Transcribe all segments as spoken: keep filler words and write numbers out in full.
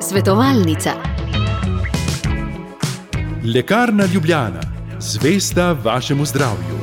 Svetovalnica. Lekarna Ljubljana, zvesta vašemu zdravju.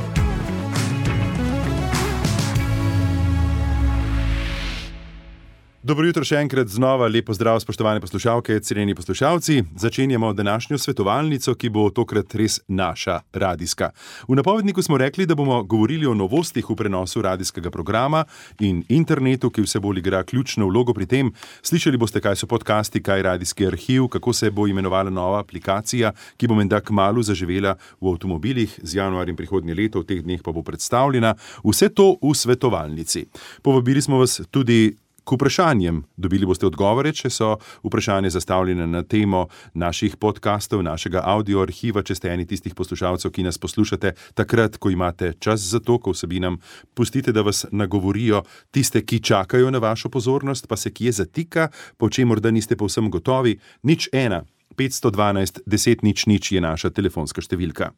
Dobro jutro še enkrat znova, lep pozdrav spoštovane poslušalke, cenjeni poslušalci. Začenjamo današnjo svetovalnico, ki bo tokrat res naša radijska. V napovedniku smo rekli, da bomo govorili o novostih v prenosu radijskega programa in internetu, ki vse bolj igra ključno vlogo pri tem. Slišali boste, kaj so podcasti, kaj radijski arhiv, kako se bo imenovala nova aplikacija, ki bo menda kmalu zaživela v avtomobilih, z januarjem prihodnje leto, v teh dneh pa bo predstavljena. Vse to v svetovalnici. Povabili smo vas tudi k vprašanjem. Dobili boste odgovore, če so vprašanje zastavljene na temo naših podcastov, našega audio arhiva, če ste eni tistih poslušalcev, ki nas poslušate takrat, ko imate čas za to, ko vsebinam pustite, da vas nagovorijo tiste, ki čakajo na vašo pozornost, pa se kje zatika, po čem morda niste povsem gotovi. Nič ena. petsto dvanajst deset nič nič je naša telefonska številka.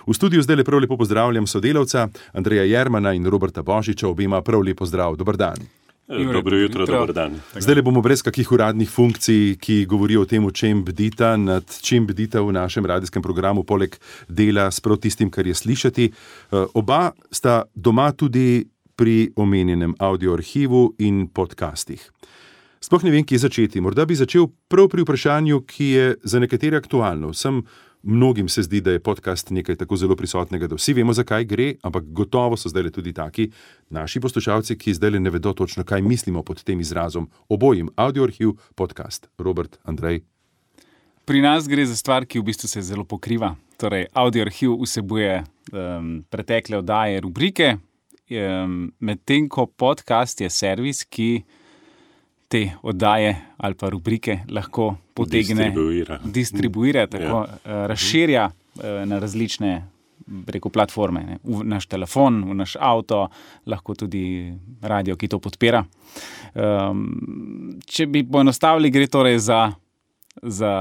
V studiu zdaj prav lepo pozdravljam sodelavca Andreja Jermana in Roberta Božiča, obema prav lepo zdrav. Dober dan. Dobro jutro, dober dan. Zdaj bomo brez kakih uradnih funkcij, ki govorijo o tem, o čem bdita, nad čem bdita v našem radijskem programu, poleg dela s prav tistim, kar je slišati. Oba sta doma tudi pri omenjenem audio arhivu in podcastih. Sploh ne vem, kje začeti. Morda bi začel prav pri vprašanju, ki je za nekatere aktualno. Vsem mnogim se zdi, da je podcast nekaj tako zelo prisotnega, da vsi vemo, zakaj gre, ampak gotovo so zdaj tudi taki naši poslušalci, ki zdaj ne vedo točno, kaj mislimo pod tem izrazom. Obojim, audio arhiv, podcast. Robert, Andrej. Pri nas gre za stvar, ki v bistvu se zelo pokriva. Torej, audio arhiv vsebuje um, pretekle oddaje, rubrike, um, medtem ko podcast je servis, ki te oddaje ali pa rubrike lahko potegne, distribuira, distribuira tako ja. razširja na različne preko platforme, ne. V naš telefon, v naš avto, lahko tudi radio, ki to podpira. Um, če bi poenostavili, gre torej za, za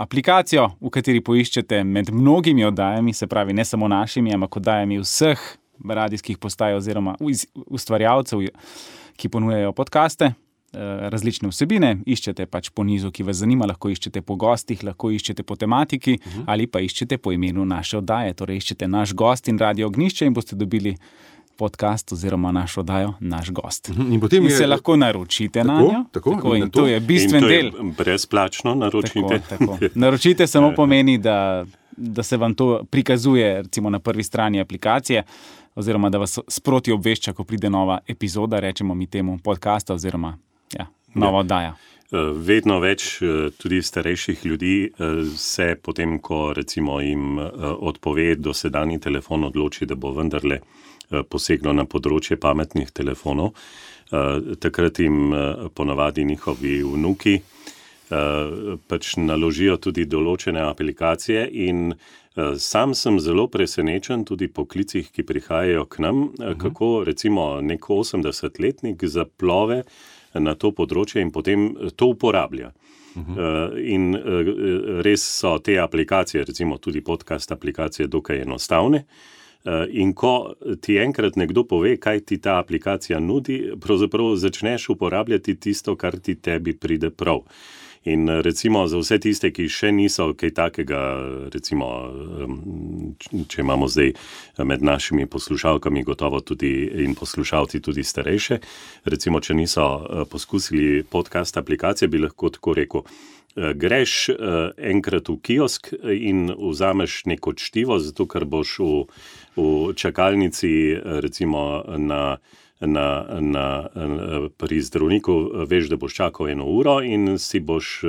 aplikacijo, v kateri poiščete med mnogimi oddajami, se pravi ne samo našimi, ampak oddajami vseh radijskih postaj oziroma ustvarjalcev, ki ponujajo podcaste, različne vsebine, iščete pač po nizu, ki vas zanima, lahko iščete po gostih, lahko iščete po tematiki uh-huh. ali pa iščete po imenu naše oddaje, torej iščete naš gost in Radio Ognjišče in boste dobili podcast oziroma našo oddajo Naš gost. Uh-huh. In, potem in je... se lahko naročite tako, na njo. Tako, tako, in, in to, to je bistven del. In to je brezplačno naročite. Tako, tako. Naročite samo pomeni, da, da se vam to prikazuje recimo na prvi strani aplikacije, oziroma da vas sproti obvešča, ko pride nova epizoda, rečemo mi temu podcasta oziroma Ja, nova oddaja. Vedno več tudi starejših ljudi se potem, ko recimo jim odpove dosedanji telefon, odloči, da bo vendarle poseglo na področje pametnih telefonov. Takrat jim ponavadi njihovi vnuki pač naložijo tudi določene aplikacije in sam sem zelo presenečen tudi po klicih, ki prihajajo k nam, uh-huh. kako recimo nek osemdesetletnik zaplove na to področje in potem to uporablja. Uh-huh. Uh, in uh, res so te aplikacije, recimo tudi podcast aplikacije, dokaj enostavne. Uh, in ko ti enkrat nekdo pove, kaj ti ta aplikacija nudi, pravzaprav začneš uporabljati tisto, kar ti tebi pride prav. In recimo za vse tiste, ki še niso kaj takega, recimo, če imamo zdaj med našimi poslušalkami gotovo tudi in poslušalci tudi starejše, recimo, če niso poskusili podcast aplikacije, bi lahko tako rekel, greš enkrat v kiosk in vzameš neko čtivo, zato ker boš v, v čakalnici recimo na Na, na, pri zdravniku veš, da boš čakal eno uro in si boš,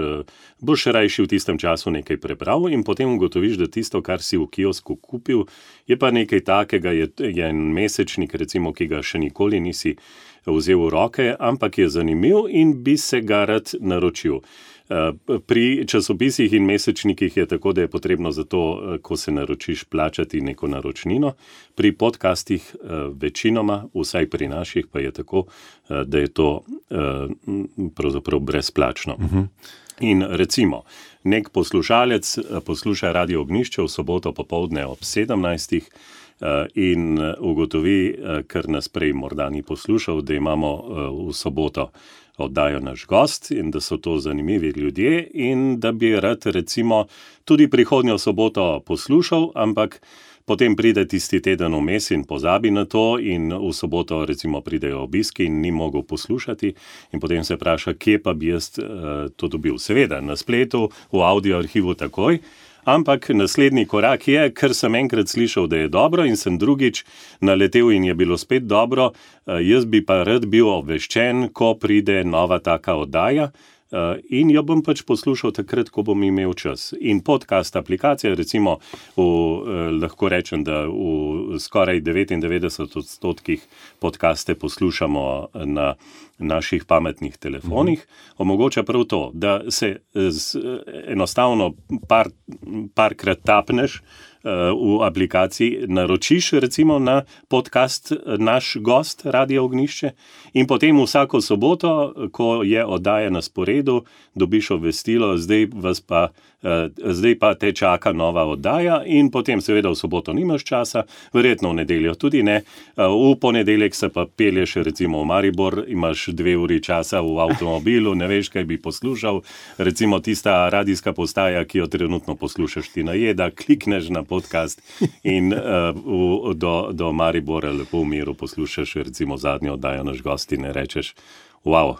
boš rajši v tistem času nekaj prebral in potem ugotoviš, da tisto, kar si v kiosku kupil, je pa nekaj takega, je, je en mesečnik, recimo, ki ga še nikoli nisi vzel v roke, ampak je zanimiv in bi se ga rad naročil. Pri časopisih in mesečnikih je tako, da je potrebno za to, ko se naročiš, plačati neko naročnino. Pri podcastih večinoma, vsaj pri naših, pa je tako, da je to pravzaprav brezplačno. Uh-huh. In recimo, nek poslušalec posluša Radio Ognjišče v soboto popoldne ob sedemnajstih in ugotovi, ker nas prej morda ni poslušal, da imamo v soboto oddajo naš gost in da so to zanimivi ljudje in da bi rad recimo tudi prihodnjo soboto poslušal, ampak potem pride tisti teden vmes in pozabi na to in v soboto recimo pridejo obiski in ni mogel poslušati in potem se vpraša, kje pa bi jaz uh, to dobil. Seveda, na spletu, v audio arhivu takoj, ampak naslednji korak je, ker sem enkrat slišal, da je dobro in sem drugič naletel in je bilo spet dobro, uh, jaz bi pa rad bil obveščen, ko pride nova taka oddaja, Uh, in jo bom pač poslušal takrat, ko bom imel čas. In podcast aplikacija, recimo, v, uh, lahko rečem, da v skoraj devetindevetdeset odstotkih podcaste poslušamo na naših pametnih telefonih, mm-hmm. omogoča prav to, da se z, enostavno par, parkrat tapneš v aplikaciji, naročiš recimo na podcast Naš gost, Radio Ognjišče in potem vsako soboto, ko je oddaja na sporedu, dobiš obvestilo, zdaj vas pa, zdaj pa te čaka nova oddaja in potem seveda v soboto nimaš časa, verjetno v nedeljo tudi ne, v ponedeljek se pa pelješ recimo v Maribor, imaš dve uri časa v avtomobilu, ne veš, kaj bi poslušal, recimo tista radijska postaja, ki jo trenutno poslušaš, ti najeda, klikneš na podcast in uh, v, do, do Maribora lepo v miru poslušaš recimo zadnjo oddajo Naš gost in ne rečeš, wow,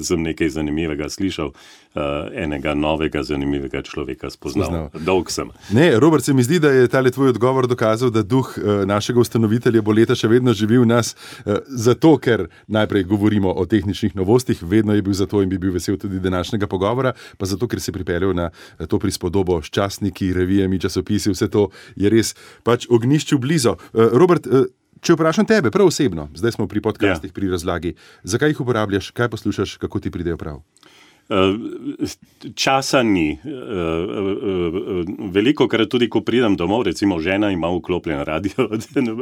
sem nekaj zanimivega slišal, uh, enega novega zanimivega človeka spoznal. spoznal. Dolg sem. Ne, Robert, se mi zdi, da je tale tvoj odgovor dokazal, da duh uh, našega ustanovitelja Boleta še vedno živi v nas, uh, zato, ker najprej govorimo o tehničnih novostih, vedno je bil zato in bi bil vesel tudi današnjega pogovora, pa zato, ker se pripeljal na to prispodobo s časniki, revijami, časopisi, vse to je res pač ognjišču blizu. Uh, Robert, uh, če vprašam tebe, prav osebno, zdaj smo pri podcastih, ja. pri razlagi, zakaj jih uporabljaš, kaj poslušaš, kako ti pridejo prav? Časa ni. Veliko krat tudi, ko pridem domov, recimo žena ima vklopljen radio,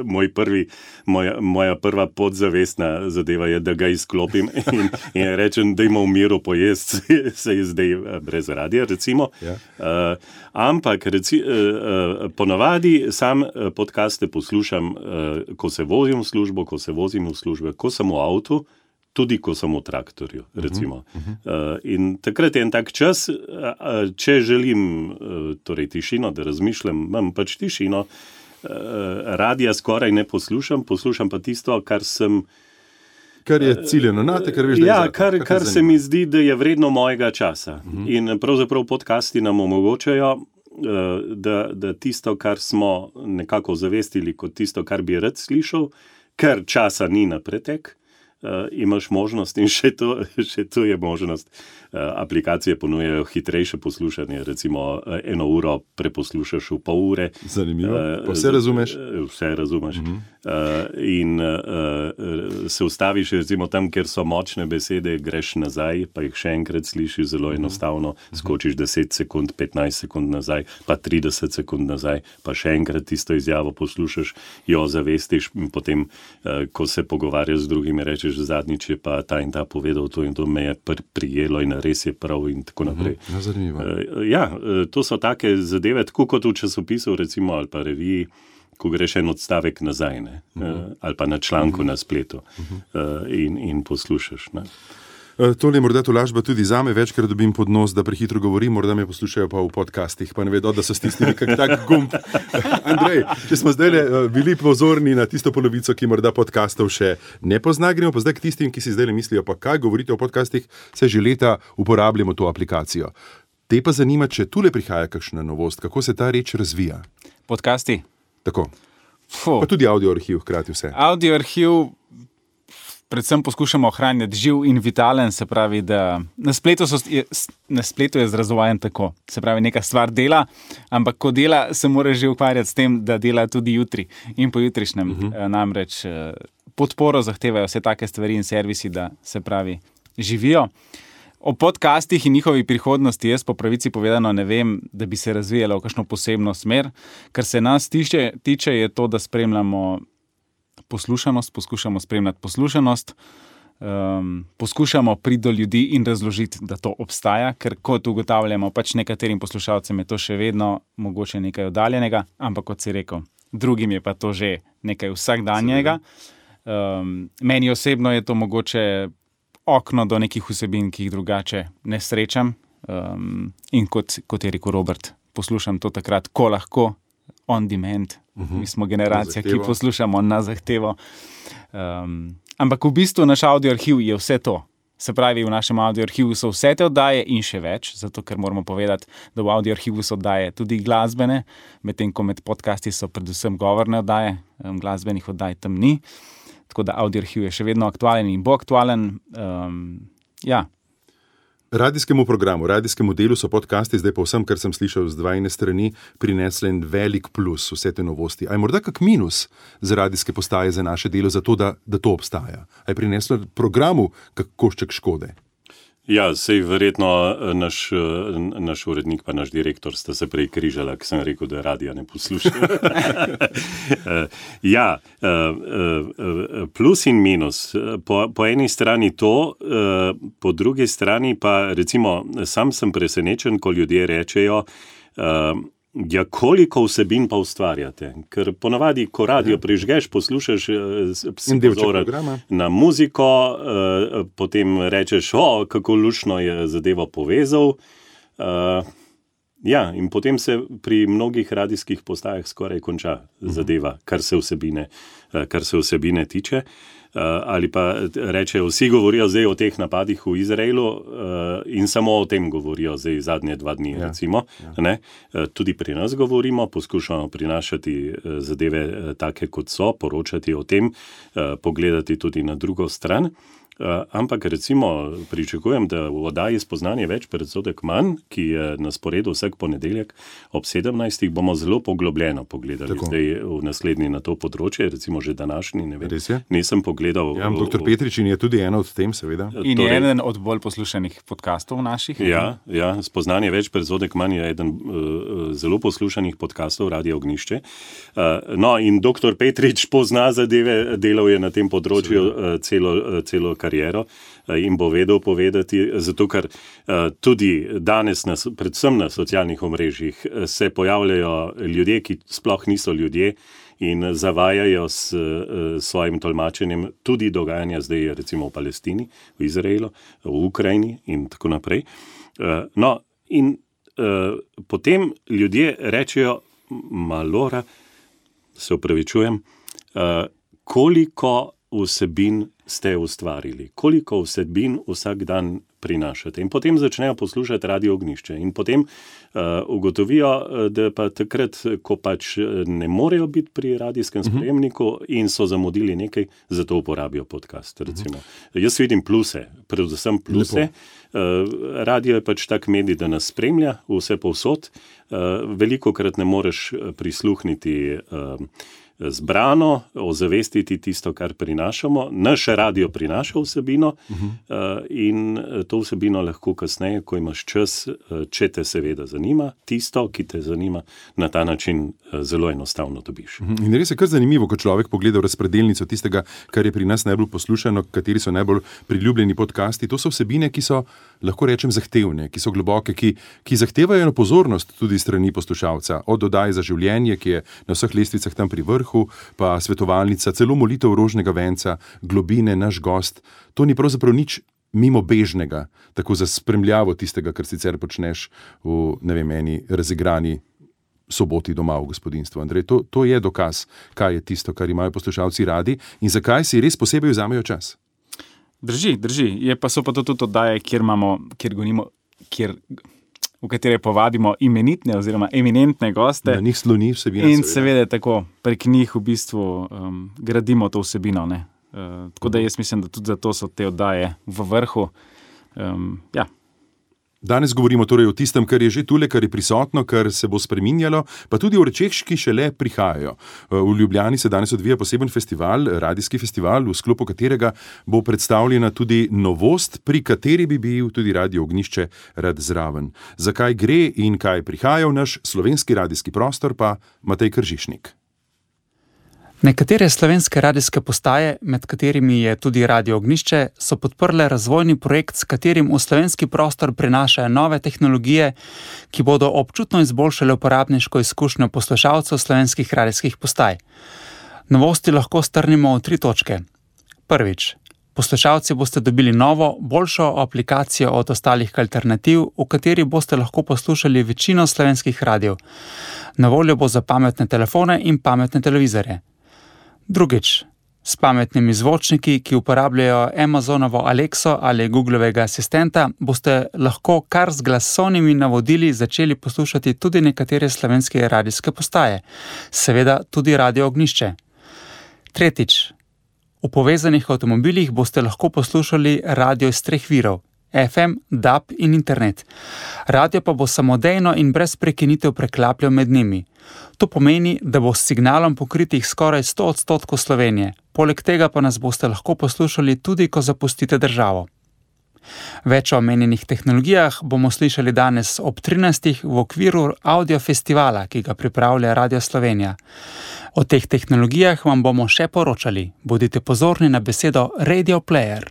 moj prvi, moja, moja prva podzavestna zadeva je, da ga izklopim in, in rečem, da ima v miru pojest, se je zdaj brez radia, recimo. Ja. Uh, ampak reci, uh, ponavadi sam podcaste poslušam, uh, ko se vozim v službo, ko se vozim v službe, ko sem v avtu, tudi ko sem v traktorju, recimo. Uh-huh. Uh, in takrat je en tak čas, uh, če želim uh, torej tišino, da razmišljam, imam pač tišino, uh, radija skoraj ne poslušam, poslušam pa tisto, kar sem... Kar je ciljeno nate, kar veš, da je ja, zato. Kar, kar se mi zdi, da je vredno mojega časa. Uh-huh. In pravzaprav podcasti nam omogočajo, uh, da, da tisto, kar smo nekako zavestili kot tisto, kar bi rad slišal, ker časa ni na pretek, Uh, imaš možnost in še to, še to je možnost. Uh, aplikacije ponujajo hitrejše poslušanje, recimo uh, eno uro preposlušaš v pol ure. Zanimivo, uh, pa vse razumeš? Uh, vse razumeš. Uh-huh. Uh, in uh, se ustaviš recimo tam, kjer so močne besede, greš nazaj, pa jih še enkrat slišiš zelo enostavno, uh-huh. skočiš deset sekund, petnajst sekund nazaj, pa trideset sekund nazaj, pa še enkrat tisto izjavo poslušaš, jo zavestiš in potem, uh, ko se pogovarjaš z drugimi, rečeš, zadnjič je pa ta in ta povedal to in to me je prijelo in res je prav in tako naprej. Ja, zanimivo. Ja, to so take zadeve, tako kot v časopisu recimo ali pa reviji, ko greš en odstavek nazaj, ne? Uh-huh. Ali pa na članku uh-huh. na spletu uh-huh. in, in poslušaš. Ne? Tole je morda tolažba tudi zame, večkrat dobim pod nos, da prehitro govorim, morda me poslušajo pa v podcastih, pa ne vedo, da so stisnili kak tak gumb. Andrej, če smo zdaj bili pozorni na tisto polovico, ki morda podcastov še ne pozna, gremo pa zdaj k tistim, ki si zdaj mislijo, pa kaj govorite o podcastih, se že leta uporabljamo to aplikacijo. Te pa zanima, če tule prihaja kakšna novost, kako se ta reč razvija. Podcasti? Tako. Fuh. Pa tudi audio arhiv, hkrati vse. Audio arhiv predvsem poskušamo ohranjati živ in vitalen, se pravi, da na spletu, so, je, na spletu je razvajen tako, se pravi, neka stvar dela, ampak ko dela, se mora že ukvarjati s tem, da dela tudi jutri in pojutrišnjem. Uh-huh. Namreč podporo zahtevajo vse take stvari in servisi, da se pravi, živijo. O podcastih in njihovi prihodnosti jaz po pravici povedano ne vem, da bi se razvijalo v kakšno posebno smer. Kar se nas tiče, tiče je to, da spremljamo poslušanost, poskušamo spremljati poslušanost, um, poskušamo priti do ljudi in razložiti, da to obstaja, ker kot ugotavljamo, pač nekaterim poslušalcem je to še vedno mogoče nekaj oddaljenega, ampak kot si rekel, drugim je pa to že nekaj vsakdanjega. Um, meni osebno je to mogoče okno do nekih vsebin, ki jih drugače ne srečam. Um, in kot, kot je rekel Robert, poslušam to takrat, ko lahko, on demand. Uh-huh. Mi smo generacija, ki poslušamo na zahtevo. Um, ampak v bistvu naš audio arhiv je vse to. Se pravi, v našem audio arhivu so vse te oddaje in še več, zato ker moramo povedati, da v audio arhivu so oddaje tudi glasbene, medtem ko med podcasti so predvsem govorne oddaje, glasbenih oddaj tam ni. Tako da audio arhiv je še vedno aktualen in bo aktualen. Um, ja. Radijskemu programu, radijskemu delu so podcasti zdaj po vsem, kar sem slišal z dvajne strani, prinesli en velik plus, vse te novosti. A je morda kak minus za radijske postaje za naše delo, za to, da, da to obstaja? A je prineslo programu kak košček škode? Ja, sej verjetno naš, naš urednik pa naš direktor sta se prej križala, ko sem rekel, da radija ne poslušajo. Ja, plus in minus. Po, po eni strani to, po drugi strani pa recimo sam sem presenečen, ko ljudje rečejo, ja, koliko vsebin pa ustvarjate? Ker ponavadi, ko radio prižgeš, poslušaš si pozoren na muziko, eh, potem rečeš, o, kako lušno je zadevo povezal. Eh, ja, in potem se pri mnogih radijskih postajah skoraj konča zadeva, kar se vsebine, kar se vsebine tiče. Uh, ali pa rečejo, vsi govorijo zdaj o teh napadih v Izraelu uh, in samo o tem govorijo zdaj zadnje dva dni, ja, recimo. Ja. Ne? Uh, tudi pri nas govorimo, poskušamo prinašati uh, zadeve uh, take, kot so, poročati o tem, uh, pogledati tudi na drugo stran. Uh, ampak recimo pričakujem, da v oddaji Spoznanje več, predsodek manj, ki je na sporedu vsak ponedeljek ob sedemnajstih, bomo zelo poglobljeno pogledali Tako. zdaj v naslednji na to področje, recimo že današnji, ne vem, nisem pogledal. Ja, doktor Petričin je tudi eno od tem, seveda. In torej, je eden od bolj poslušanih podcastov naših. Ja, ja, Spoznanje več, predsodek manj je eden uh, zelo poslušanih podcastov Radio Ognjišče. Uh, no, in doktor Petrič pozna zadeve, delal je na tem področju uh, celo, uh, celo kar kariero in bo vedel povedati, zato ker tudi danes, na, predvsem na socialnih omrežjih, se pojavljajo ljudje, ki sploh niso ljudje in zavajajo s svojim tolmačenjem tudi dogajanja zdaj recimo v Palestini, v Izraelu, v Ukrajini in tako naprej. No, in potem ljudje rečejo, malora, se upravičujem, koliko vsebin ste ustvarili, koliko vsebin vsak dan prinašate. In potem začnejo poslušati Radio Ognjišče. In potem uh, ugotovijo, da pa takrat, ko pač ne morejo biti pri radijskem sprejemniku in so zamudili nekaj, zato uporabijo podcast, recimo. Uh-huh. Jaz vidim pluse, predvsem pluse. Uh, radio je pač tak medij, da nas spremlja vse povsod. Uh, velikokrat ne moreš prisluhniti uh, zbrano, ozavestiti tisto, kar prinašamo. Naš radio prinaša vsebino uh-huh. uh, in to vsebino lahko kasneje, ko imaš čas, uh, če te seveda zanima, tisto, ki te zanima, na ta način uh, zelo enostavno dobiš. Uh-huh. In res je kar zanimivo, ko človek pogleda v razpredelnico tistega, kar je pri nas najbolj poslušano, kateri so najbolj priljubljeni podcasti. To so vsebine, ki so, lahko rečem, zahtevne, ki so globoke, ki, ki zahtevajo pozornost tudi strani poslušalca. Od oddaje Za življenje, ki je na vseh lestvicah tam pri vrhu, pa svetovalnica, celo molitev rožnega venca, globine, naš gost. To ni pravzaprav nič mimobežnega, tako za spremljavo tistega, kar sicer počneš v, ne vem, eni razigrani soboti doma v gospodinstvu. Andrej, to, to je dokaz, kaj je tisto, kar imajo poslušalci radi in zakaj si res posebej vzamejo čas. Drži, drži. Je pa so pa to tudi oddaje, kjer imamo, kjer gonimo, kjer... v katere povabimo imenitne oziroma eminentne goste. Na njih sloni vsebina. In seveda tako prek njih v bistvu um, gradimo to vsebino. Ne? Uh, tako da jaz mislim, da tudi zato so te oddaje v vrhu. Um, ja. Danes govorimo torej o tistem, kar je že tule, kar je prisotno, kar se bo spreminjalo, pa tudi o rečeh, ki šele prihajajo. V Ljubljani se danes odvija poseben festival, radijski festival, v sklopu katerega bo predstavljena tudi novost, pri kateri bi bil tudi Radio Ognjišče rad zraven. Zakaj gre in kaj prihaja v naš slovenski radijski prostor, pa Matej Kržišnik. Nekatere slovenske radijske postaje, med katerimi je tudi Radio Ognjišče, so podprle razvojni projekt, s katerim v slovenski prostor prinašajo nove tehnologije, ki bodo občutno izboljšale uporabniško izkušnjo poslušalcev slovenskih radijskih postaj. Novosti lahko strnimo v tri točke. Prvič, Poslušalci boste dobili novo, boljšo aplikacijo od ostalih alternativ, v kateri boste lahko poslušali večino slovenskih radijev. Na voljo bo za pametne telefone in pametne televizorje. Drugič, s pametnimi zvočniki, ki uporabljajo Amazonovo Alexo ali Googlovega asistenta, boste lahko kar z glasovnimi navodili začeli poslušati tudi nekatere slovenske radijske postaje, seveda tudi Radio Ognjišče. Tretjič, v povezanih avtomobilih boste lahko poslušali radio iz treh virov, F M, D A B in internet. Radio pa bo samodejno in brez prekinitev preklapljal med njimi. To pomeni, da bo s signalom pokritih skoraj sto odstotkov Slovenije. Poleg tega pa nas boste lahko poslušali tudi, ko zapustite državo. Več o omenjenih tehnologijah bomo slišali danes ob trinajstih v okviru audiofestivala, ki ga pripravlja Radio Slovenija. O teh tehnologijah vam bomo še poročali. Bodite pozorni na besedo Radio Player.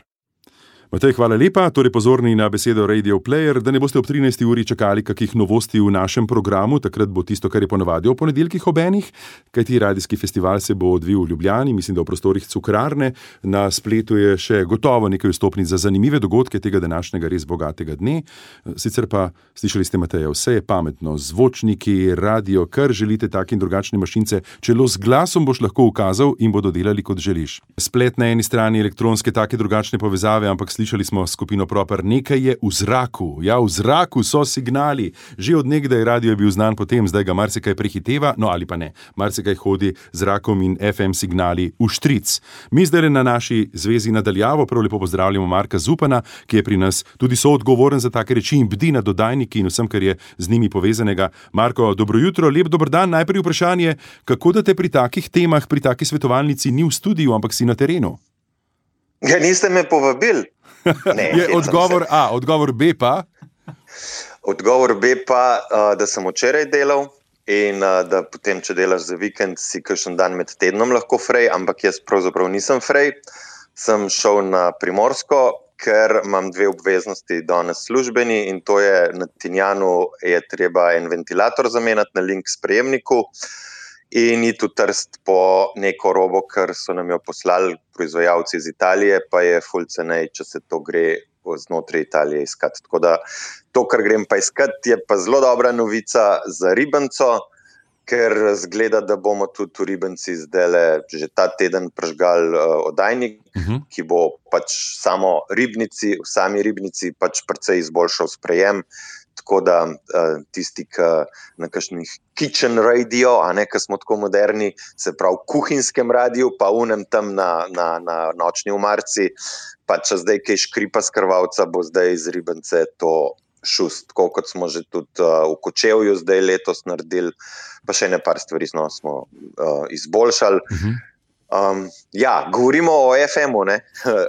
Matej, hvala lepa. Torej pozorni na besedo Radio Player, da ne boste ob trinajsti uri čakali kakih novosti v našem programu, takrat bo tisto, kar je ponavadi o ponedeljkih ob enih, kajti radijski festival se bo odvil v Ljubljani, mislim, da v prostorih Cukrarne. Na spletu je še gotovo nekaj vstopnic za zanimive dogodke tega današnjega res bogatega dne. Sicer pa, slišali ste Mateja, vse je pametno, zvočniki, radio, kar želite, take in drugačne mašince, čelo z glasom boš lahko ukazal in bodo delali, kot želiš. Splet na eni strani, elektronske, take drugačne povezave, ampak slišali smo skupino Proper, nekaj je v zraku. Ja, v zraku so signali. Že od nekdaj radio je bil znan potem, zdaj ga marsikaj prehiteva, no ali pa ne. Marsikaj hodi zrakom in F M signali v štric. Mi zdaj na naši zvezi nadaljavo prav lepo pozdravljamo Marka Zupana, ki je pri nas tudi soodgovoren za take reči in bdi na dodajniki in vsem, kar je z njimi povezanega. Marko, dobro jutro, lep dober dan. Najprej vprašanje, kako da te pri takih temah, pri taki svetovalnici ni v studiu, ampak si na terenu? Ja, niste me povabili. Ne, je odgovor A, odgovor B pa? Odgovor B pa, da sem včeraj delal in da potem, če delaš za vikend, si kakšen dan med tednom lahko frej, ampak jaz pravzaprav nisem frej. Sem šel na Primorsko, ker imam dve obveznosti danes službeni in to je na Tinjanu je treba en ventilator zamenjati na link sprejemniku in iti v Trst po neko robo, ker so nam jo poslali proizvajalci iz Italije, pa je ful cenej, če se to gre znotraj Italije iskati. Tako da to, kar grem pa iskati, je pa zelo dobra novica za Ribenco, ker zgleda, da bomo tudi v Ribenci zdajle že ta teden prižgali uh, oddajnik, uh-huh. ki bo pač samo ribnici, v sami ribnici pač precej izboljšal sprejem. Tako da uh, tisti, ki na kakšnih kitchen radio, a ne, ki smo tako moderni, se pravi kuhinjskem radiju, pa unem tam na, na, na nočni umarci, pa če zdaj kaj škripa skrvalca, bo zdaj iz Ribence to šust, tako kot smo že tudi uh, v Kočevju zdaj letos naredili, pa še ne par stvari smo, smo uh, izboljšali. Uh-huh. Um, ja, govorimo o F M-u, ne?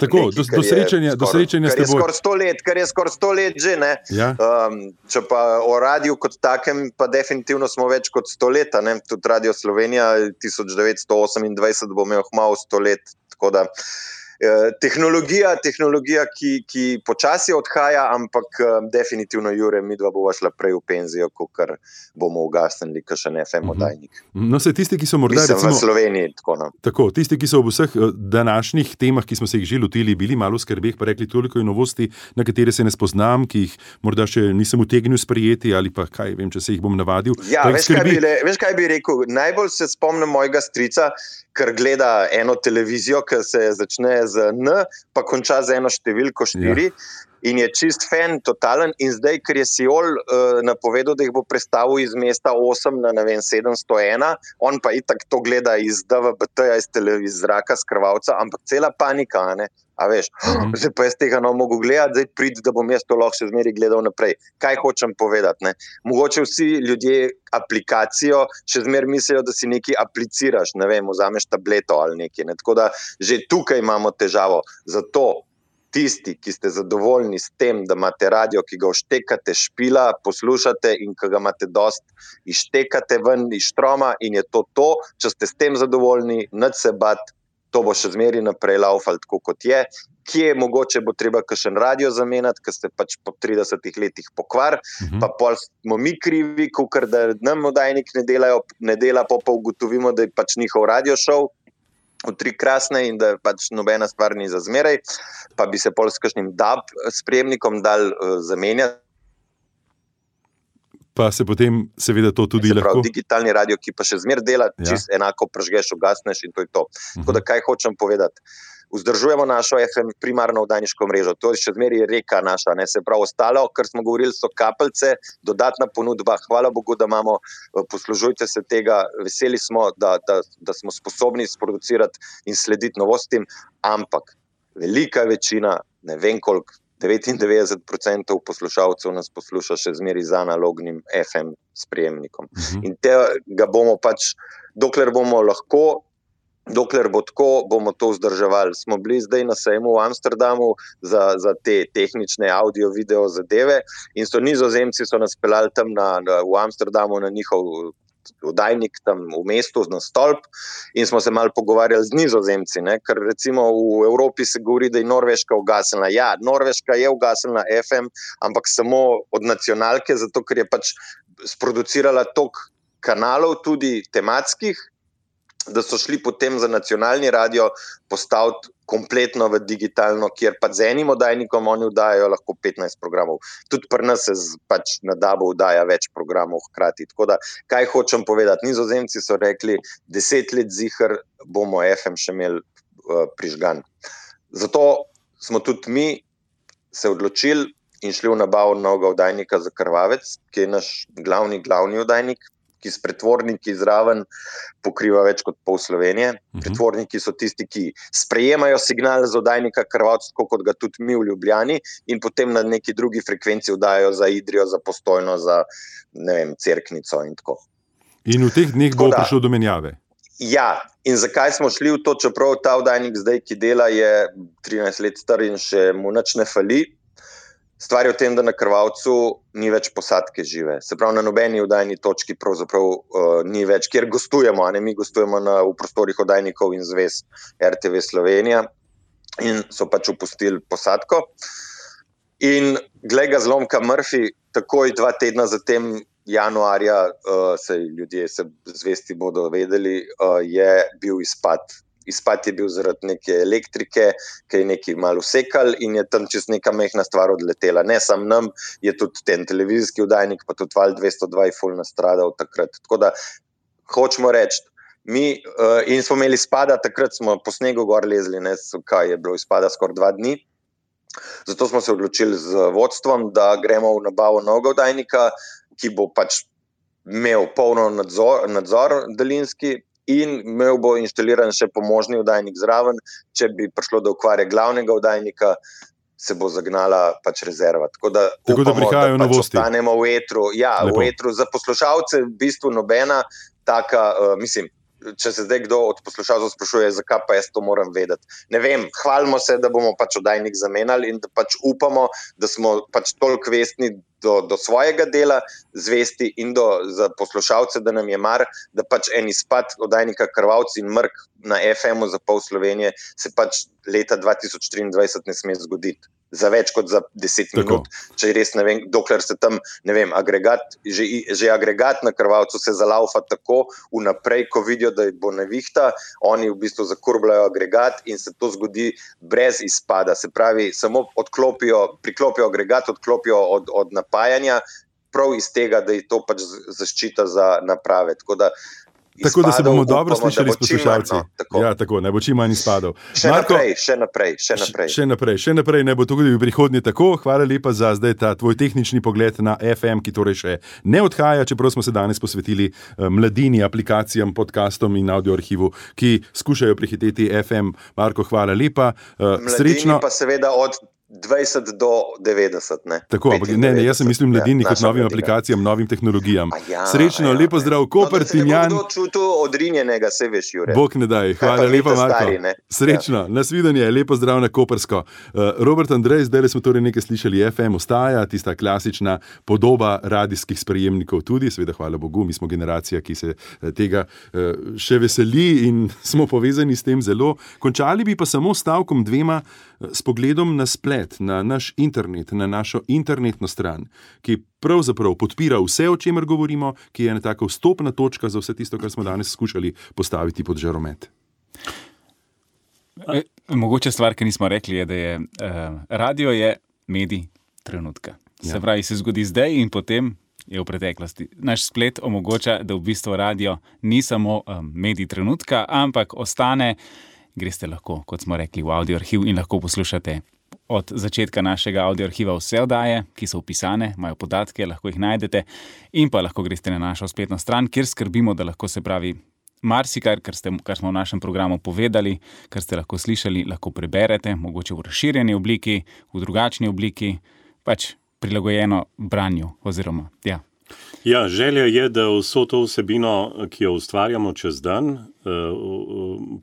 Tako, Neki, do, do srečanja, do srečanja s teboj. Kar je skoraj sto let, kar je skoraj sto let že, ne? Ja. Um, če pa o radiju kot takem, pa definitivno smo več kot sto leta, ne? Tudi Radio Slovenija tisoč devetsto osemindvajset bo imel kmalu sto let, tako da Tehnologija, tehnologija, ki, ki počasi odhaja, ampak definitivno, Jure, midva bova šla prej v penzijo, kakor bomo ugasnili kakšen F M oddajnik. No, se tisti, ki so morda recimo, v Sloveniji, tako no. Tako, tisti, ki so v vseh današnjih temah, ki smo se jih že lotili, bili malo v skrbeh, pa rekli toliko je novosti, na katere se ne spoznam, ki jih morda še nisem utegnil sprejeti, ali pa kaj vem, če se jih bom navadil. Ja, veš kaj, bi, veš, kaj bi rekel? Najbolj se spomnim mojega strica, ker gleda eno televizijo, ki se začne z N, pa konča z eno številko štiri. Ja. In je čist fan, totalen. In zdaj, ker je Siol uh, napovedal, da jih bo prestavil iz mesta osem na, ne vem, sedemsto ena, on pa itak to gleda iz D V B T-ja, iz televizije zraka, skrvalca, ampak cela panika, ne? A veš, mm. zdaj pa jaz tega ne mogu gledati, zdaj pridi, da bom jaz to lahko še zmeri gledal naprej. Kaj hočem povedati, ne? Mogoče vsi ljudje aplikacijo še zmeri mislijo, da si nekaj apliciraš, ne vem, vzameš tableto ali nekaj, ne? Tako da že tukaj imamo težavo. Zato tisti, ki ste zadovoljni s tem, da imate radio, ki ga vštekate špila, poslušate in ki ga imate dost, ištekate ven iz štroma in je to to, če ste s tem zadovoljni, nič se bat, to bo še zmeri naprej laufal tako kot je. Kje mogoče bo treba kakšen radio zamenjati, ker se pač po tridesetih letih pokvar, uh-huh. pa pol smo mi krivi, ker da nam oddajnik ne, delajo, ne dela, pa pa ugotovimo, da je pač njihov radio šov. v tri krasne in da pač nobena stvar ni za zmeraj, pa bi se pol s kakšnim D A B sprejemnikom dal uh, zamenjati. Pa se potem seveda to tudi pravi, lahko. Digitalni radio, ki pa še zmer dela, Ja. čist enako pržgeš, ugasneš in to je to. Tako da kaj hočem povedati? Vzdržujemo našo F M primarno oddajniško mrežo, to je še zmeraj reka naša, ne? Se pravi ostalo, kar smo govorili, so kapljice, dodatna ponudba, hvala Bogu, da imamo, poslužujte se tega, veseli smo, da, da, da smo sposobni sproducirati in slediti novostim, ampak velika večina, ne vem koliko, devetindevetdeset procentov poslušalcev nas posluša še zmeraj z analognim F M sprejemnikom. Mhm. In tega bomo pač, dokler bomo lahko, dokler bo tako, bomo to vzdrževali. Smo bili zdaj na sejmu v Amsterdamu za, za te tehnične audio-video zadeve in so Nizozemci so nas peljali tam na, na, v Amsterdamu na njihov oddajnik tam v mestu na stolp in smo se malo pogovarjali z Nizozemci, ne? Ker recimo v Evropi se govori, da je Norveška ugasnila. Ja, Norveška je ugasnila F M, ampak samo od nacionalke, zato ker je pač sproducirala toliko kanalov, tudi tematskih, da so šli potem za nacionalni radio postaviti kompletno v digitalno, kjer pa z enim oddajnikom oni oddajajo lahko petnajst programov. Tudi pri nas se z, pač na D A B-u oddaja več programov hkrati. Tako da, kaj hočem povedati? Nizozemci so rekli, deset let ziher bomo F M še imeli uh, prižgan. Zato smo tudi mi se odločili in šli v nabavo novega oddajnika za Krvavec, ki je naš glavni, glavni oddajnik, ki s pretvorniki zraven pokriva več kot pol Slovenije. Mhm. Pretvorniki so tisti, ki sprejemajo signal z oddajnika Krvavec, tako kot ga tudi mi v Ljubljani, in potem na neki drugi frekvenci oddajajo za Idrijo, za Postojno, za ne vem, Cerknico in tako. In v teh dneh bo Tako da- prišlo do menjave. Ja, in zakaj smo šli v to, čeprav ta oddajnik zdaj, ki dela, je trinajst let star in še mu nič ne fali. Stvar je v tem, da na Krvavcu ni več posadke žive. Se pravi, na nobeni oddajni točki pravzaprav uh, ni več, kjer gostujemo, a ne, mi gostujemo na, v prostorih oddajnikov in zvez R T V Slovenija in so pač opustili posadko. In glej ga zlomka Murphy, takoj dva tedna zatem januarja, uh, se ljudje, se zvesti bodo vedeli, uh, je bil izpad. Izpad je bil zaradi neke elektrike, ki je nekaj malo usekal in je tam čez neka mehna stvar odletela. Ne sam nam, je tudi ten televizijski oddajnik, pa tudi Val dvesto dva je ful nastradal takrat. Tako da hočemo reči, mi uh, in smo imeli spada, takrat smo po snegu gor lezli, ne, so, kaj je bilo izpada skoraj dva dni. Zato smo se odločili z vodstvom, da gremo v nabavo novega oddajnika, ki bo pač imel polno nadzor, nadzor daljinski, in imel bo inštaliran še pomožni oddajnik zraven, če bi prišlo do okvare glavnega oddajnika, se bo zagnala pač rezerva. Tako da, Tako da upamo, prihajajo da pač novosti. ostanemo v etru. Ja, Lepo. v etru. Za poslušalce v bistvu nobena taka, uh, mislim, če se zdaj kdo od poslušalcev sprašuje, zakaj pa jaz to moram vedeti. Ne vem, hvalimo se, da bomo pač oddajnik zamenjali in da pač upamo, da smo pač toliko vestni do, do svojega dela, zvesti in do, za poslušalce, da nam je mar, da pač en izpad oddajnika Krvavec in Mrk na F M-u za pol Slovenije se pač leta dva tisoč triindvajset ne sme zgoditi. Za več kot za deset Tako. minut, če res ne vem, dokler se tam, ne vem, agregat, že, že agregat na Krvavcu se zalaufa tako vnaprej, ko vidijo, da bo nevihta, oni v bistvu zakurbljajo agregat in se to zgodi brez izpada. Se pravi, samo odklopijo, priklopijo agregat, odklopijo od, od napajanja, prav iz tega, da je to pač zaščita za naprave. Tako da Tako da se bomo dobro upamo, da slišali bo s čim manj, poslušalci. no, tako. Ja, tako, ne bo čim manj izpadov. Še Marko, naprej, še naprej, še naprej. Še naprej, še naprej, še naprej, ne bo tudi v prihodnje tako. Hvala lepa za zdaj ta tvoj tehnični pogled na F M, ki torej še ne odhaja, čeprav smo se danes posvetili eh, mladini, aplikacijam, podcastom in audio arhivu, ki skušajo prehiteti F M. Marko, hvala lepa. Eh, Mladini srečno. pa seveda od dvajset do devetdeset. Ne? Tako, ampak ne, ne, jaz sem mislim mladini Ja, kot naša novim mladina. aplikacijam, novim tehnologijam. A ja, Srečno, a ja, lepo ja. zdrav, Koper, No, da se ne bo Tinjan. kdo čutil odrinjenega, se veš, Jure. Bog ne daj, Kaj hvala pa lepa, vi ta Marko. stari, ne? Srečno, nasvidenje, lepo zdrav na Kopersko. Uh, Robert Andrej, zdaj smo torej nekaj slišali, F M ostaja, tista klasična podoba radijskih sprejemnikov tudi, seveda hvala Bogu, mi smo generacija, ki se eh, tega uh, še veseli in smo povezani s tem zelo. Končali bi pa samo stavkom dvema eh, s pogledom na splet, na naš internet, na našo internetno stran, ki pravzaprav podpira vse, o čemer govorimo, ki je ena taka vstopna točka za vse tisto, kar smo danes skušali postaviti pod žaromet. E, mogoče stvar, ki nismo rekli, je, da je uh, radio je medij trenutka. Ja. Se pravi, se zgodi zdaj in potem je v preteklosti. Naš splet omogoča, da v bistvu radio ni samo um, medij trenutka, ampak ostane, greste lahko, kot smo rekli, v audio arhiv in lahko poslušate od začetka našega audio arhiva vse oddaje, ki so upisane, imajo podatke, lahko jih najdete in pa lahko greste na našo spletno stran, kjer skrbimo, da lahko se pravi marsikar, kar, ste, kar smo v našem programu povedali, kar ste lahko slišali, lahko preberete, mogoče v razširjeni obliki, v drugačni obliki, pač prilagojeno branju oziroma, ja. Ja, želja je, da vso to vsebino, ki jo ustvarjamo čez dan,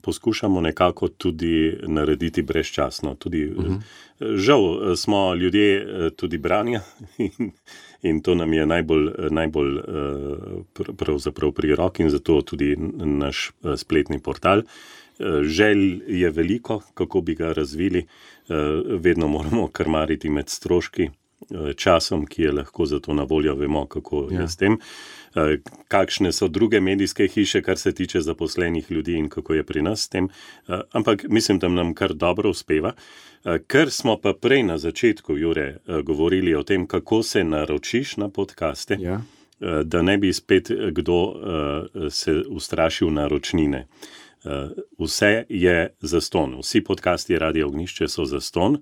poskušamo nekako tudi narediti brezčasno. Tudi, uh-huh. Žal smo ljudje tudi branja in, in to nam je najbolj, najbolj pravzaprav pri roki in zato tudi naš spletni portal. Želj je veliko, kako bi ga razvili, vedno moramo krmariti med stroški, časom, ki je lahko za to na voljo, vemo, kako ja. je s tem. Kakšne so druge medijske hiše, kar se tiče zaposlenih ljudi in kako je pri nas s tem. Ampak mislim, da nam kar dobro uspeva. Ker smo pa prej na začetku, Jure, govorili o tem, kako se naročiš na podcaste, ja. da ne bi spet kdo se ustrašil naročnine. Vse je zastonj. Vsi podcasti Radio Ognjišče so zastonj.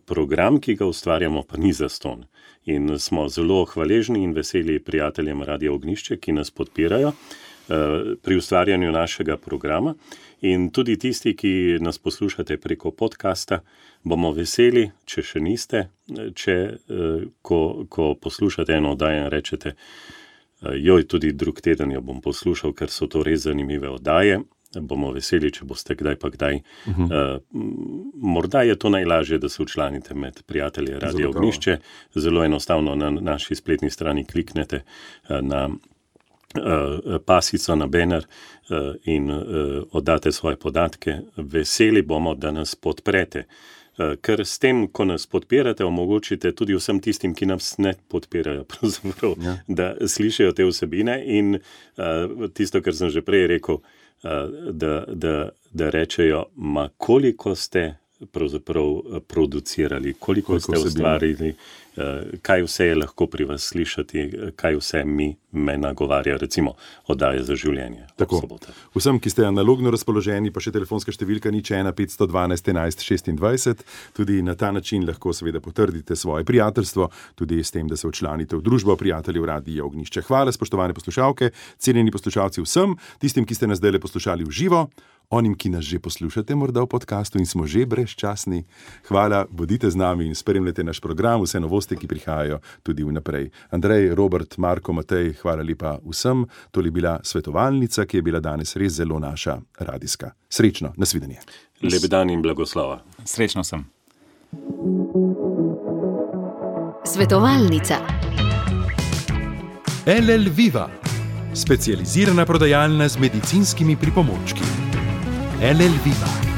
Program, ki ga ustvarjamo, pa ni zastonj. In smo zelo hvaležni in veseli prijateljem Radio Ognjišče, ki nas podpirajo uh, pri ustvarjanju našega programa. In tudi tisti, ki nas poslušate preko podcasta, bomo veseli, če še niste, če uh, ko, ko poslušate eno oddajo in rečete, uh, joj, tudi drug teden jo bom poslušal, ker so to res zanimive oddaje. Bomo veseli, če boste kdaj pa kdaj. Uh-huh. Uh, morda je to najlažje, da se včlanite med prijatelje Radio Ognjišče. Zelo enostavno na naši spletni strani kliknete uh, na uh, pasico, na banner uh, in uh, oddate svoje podatke. Veseli bomo, da nas podprete. Uh, ker s tem, ko nas podpirate, omogočite tudi vsem tistim, ki nas ne podpirajo, pravzaprav, ja. da slišijo te vsebine in uh, tisto, kar sem že prej rekel, Da, da, da rečejo, ma koliko ste pravzaprav producirali, koliko, koliko ste ustvarili, kaj vse je lahko pri vas slišati, kaj vse mi me nagovarja, recimo oddaje za življenje. Tako. Vsem, ki ste analogno razpoloženi, pa še telefonska številka nič ena pet sto dvanajst enajst šestindvajset, tudi na ta način lahko seveda potrdite svoje prijateljstvo, tudi s tem, da se včlanite v družbo prijateljev Radia Ognjišče. Hvala, spoštovane poslušalke, cenjeni poslušalci vsem, tistim, ki ste nas zdaj poslušali v živo, onim, ki nas že poslušate morda v podcastu in smo že brezčasni. Hvala, bodite z nami in spremljate naš program, vse novosti, ki prihajajo tudi vnaprej. Andrej, Robert, Marko, Matej, hvala lepa vsem. To je bila svetovalnica, ki je bila danes res zelo naša radijska. Srečno, nasvidenje. Lep dan in blagoslova. Srečno sem. Svetovalnica. L L Viva, specializirana prodajalna z medicinskimi pripomočki. L L Viva.